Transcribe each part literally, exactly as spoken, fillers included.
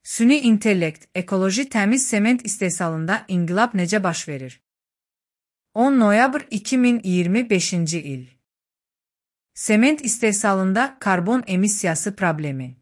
Süni intellekt, ekoloji təmiz sement istehsalında inqilab necə baş verir? on noyabr iki min iyirmi beşinci il. Sement istehsalında karbon emissiyası problemi.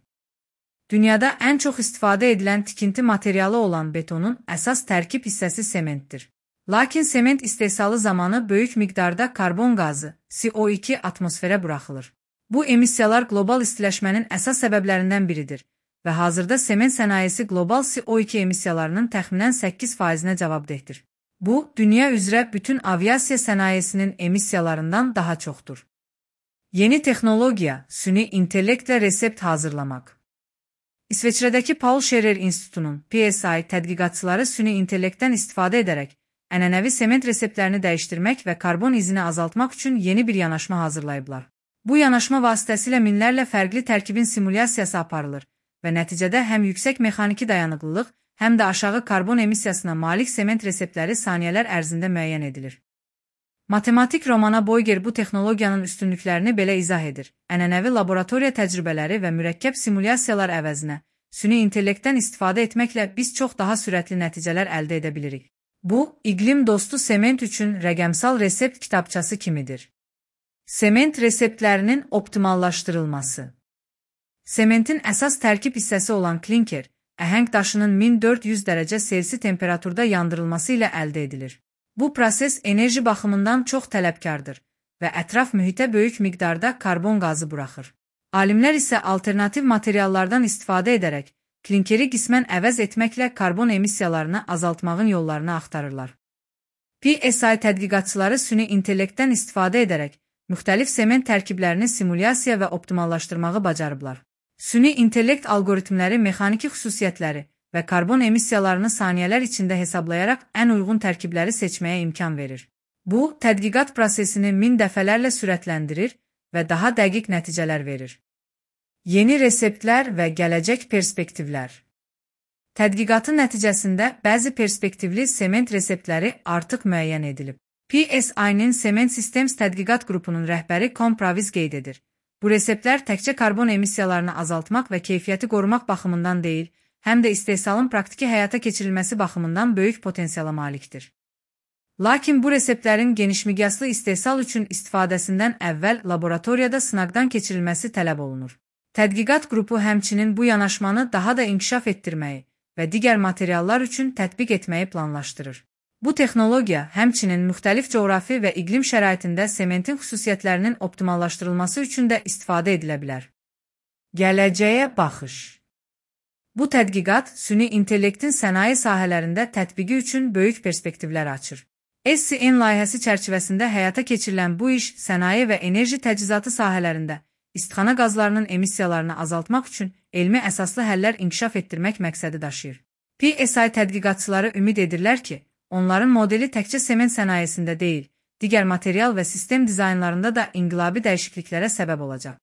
Dünyada ən çox istifadə edilən tikinti materialı olan betonun əsas tərkib hissəsi sementdir. Lakin sement istehsalı zamanı böyük miqdarda karbon qazı, C O iki atmosferə buraxılır. Bu emissiyalar qlobal istiləşmənin əsas səbəblərindən biridir və hazırda sement sənayesi qlobal C O iki emissiyalarının təxminən səkkiz faizinə cavabdehdir. Bu, dünya üzrə bütün aviasiya sənayesinin emissiyalarından daha çoxdur. Yeni texnologiya, süni intellektlə resept hazırlamaq. İsveçrədəki Paul Scherrer İnstitutunun P S I tədqiqatçıları süni intellektdən istifadə edərək ənənəvi sement reseptlərini dəyişdirmək və karbon izini azaltmaq üçün yeni bir yanaşma hazırlayıblar. Bu yanaşma vasitəsilə minlərlə fərqli tərkibin simulyasiyası aparılır və nəticədə həm yüksək mexaniki dayanıqlılıq, həm də aşağı karbon emissiyasına malik sement reseptləri saniyələr ərzində müəyyən edilir. Matematik Romana Boyger bu texnologiyanın üstünlüklərini belə izah edir. Ənənəvi laboratoriya təcrübələri və mürəkkəb simulyasiyalar əvəzinə süni intellektdən istifadə etməklə biz çox daha sürətli nəticələr əldə edə bilirik. Bu, iqlim dostu sement üçün rəqəmsal resept kitabçası kimidir. Sement reseptlərinin optimallaşdırılması. Sementin əsas tərkib hissəsi olan klinker, əhəng daşının min dörd yüz dərəcə Selsi temperaturda yandırılması ilə əldə edilir. Bu proses enerji baxımından çox tələbkardır və ətraf mühitə böyük miqdarda karbon qazı buraxır. Alimlər isə alternativ materiallardan istifadə edərək klinkeri qismən əvəz etməklə karbon emissiyalarını azaltmağın yollarını axtarırlar. P S I tədqiqatçıları süni intellektdən istifadə edərək müxtəlif sement tərkiblərini simulyasiya və optimallaşdırmağı bacarıblar. Süni intellekt algoritmləri mexaniki xüsusiyyətləri və karbon emissiyalarını saniyələr içində hesablayaraq ən uyğun tərkibləri seçməyə imkan verir. Bu, tədqiqat prosesini min dəfələrlə sürətləndirir və daha dəqiq nəticələr verir. Yeni reseptlər və gələcək perspektivlər. Tədqiqatın nəticəsində bəzi perspektivli sement reseptləri artıq müəyyən edilib. P S I-nin Sement Systems tədqiqat qrupunun rəhbəri Con Pravis qeyd edir. Bu reseptlər təkcə karbon emissiyalarını azaltmaq və keyfiyyəti qorumaq baxımından deyil, həm də istehsalın praktiki həyata keçirilməsi baxımından böyük potensiala malikdir. Lakin bu reseptlərin genişmiqyaslı istehsal üçün istifadəsindən əvvəl laboratoriyada sınaqdan keçirilməsi tələb olunur. Tədqiqat qrupu həmçinin bu yanaşmanı daha da inkişaf etdirməyi və digər materiallar üçün tətbiq etməyi planlaşdırır. Bu texnologiya həmçinin müxtəlif coğrafi və iqlim şəraitində sementin xüsusiyyətlərinin optimallaşdırılması üçün də istifadə edilə bilər. Gələcəyə baxış. Bu tədqiqat süni intellektin sənaye sahələrində tətbiqi üçün böyük perspektivlər açır. S C N layihəsi çərçivəsində həyata keçirilən bu iş sənaye və enerji təchizatı sahələrində istixana qazlarının emissiyalarını azaltmaq üçün elmi əsaslı həllər inkişaf etdirmək məqsədi daşıyır. P S I tədqiqatçıları ümid edirlər ki, onların modeli təkcə sement sənayesində deyil, digər material və sistem dizaynlarında da inqilabi dəyişikliklərə səbəb olacaq.